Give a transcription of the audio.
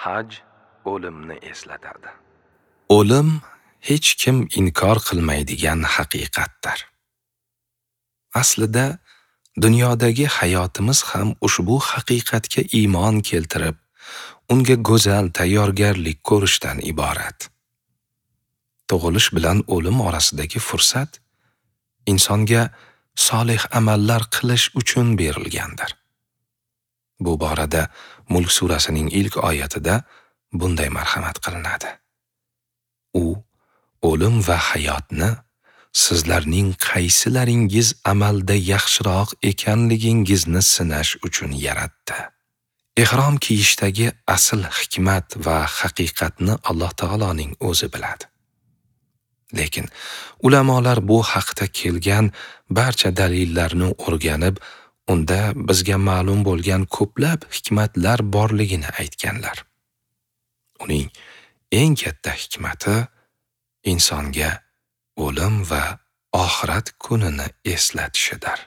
Haj o'limni eslatadi. O'lim hech kim inkor qilmaydigan haqiqatdir. Aslida dunyodagi hayotimiz ham ushbu haqiqatga iymon keltirib, unga go'zal tayyorgarlik ko'rishdan iborat. Tug'ilish bilan o'lim orasidagi fursat insonga solih amallar qilish uchun berilgandir. Bu borada Mulk surasining ilk oyatida bunday marhamat qilinadi: U o'lim va hayotni sizlarning qaysilaringiz amalda yaxshiroq ekanligingizni sinash uchun yaratdi. Ihrom kiyishdagi asl hikmat va haqiqatni Alloh taoloning o'zi biladi. Lekin ulamolar bu haqda kelgan barcha dalillarni o'rganib, unda bizga ma'lum bo'lgan ko'plab hikmatlar borligini aytganlar. Uning eng katta hikmati insonga o'lim va oxirat kunini eslatishidir.